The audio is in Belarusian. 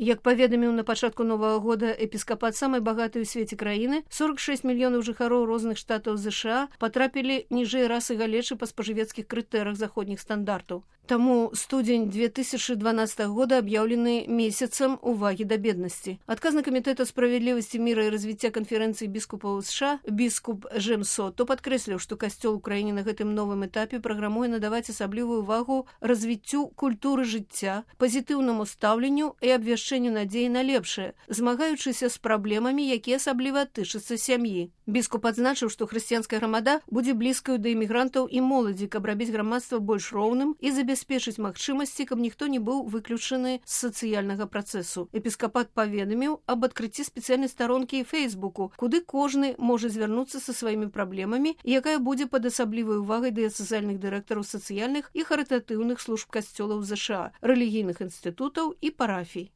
Як паведаміў на пачатку новага года эпіскапат самай багатай у свеце краіны, 46 мільёнаў жыхароў розных штатаў ЗША патрапілі ніжэй расы галечы па спажывецкіх крытэрыях заходніх стандартаў. Таму студзень 2012 года аб'яўлены месяцам увагі да беднасці. Адказны камітэт справядлівасці, міра і развіцця канферэнцыі біскупаў США біскуп Джем Сотто падкрэсліў, што касцёл у краіне на гэтым новым этапе праграмуе надаваць асаблівую ўвагу развіццю культуры жыцця, пазітыўнаму стаўленню і абвяшчэнню надзеі на лепшае, змагаючыся з праблемамі, якія асабліва тычацца сям'і. Біскуп адзначыў, што хрысціянская грамада будзе блізкаю да імігрантаў і моладзі, каб рабіць грамадства больш роўным і забяспечыць магчымасці, каб ніхто не быў выключаны з сацыяльнага працэсу. Эпіскапат паведаміў аб адкрыцці спецыяльнай старонкі і Фейсбуку, куды кожны можа звярнуцца са сваімі праблемамі, якая будзе пад асаблівай увагай дыяцэзальных дырэктараў сацыяльных і харытатыўных служб касцёлаў ЗША, рэлігійных інстытутаў і парафій.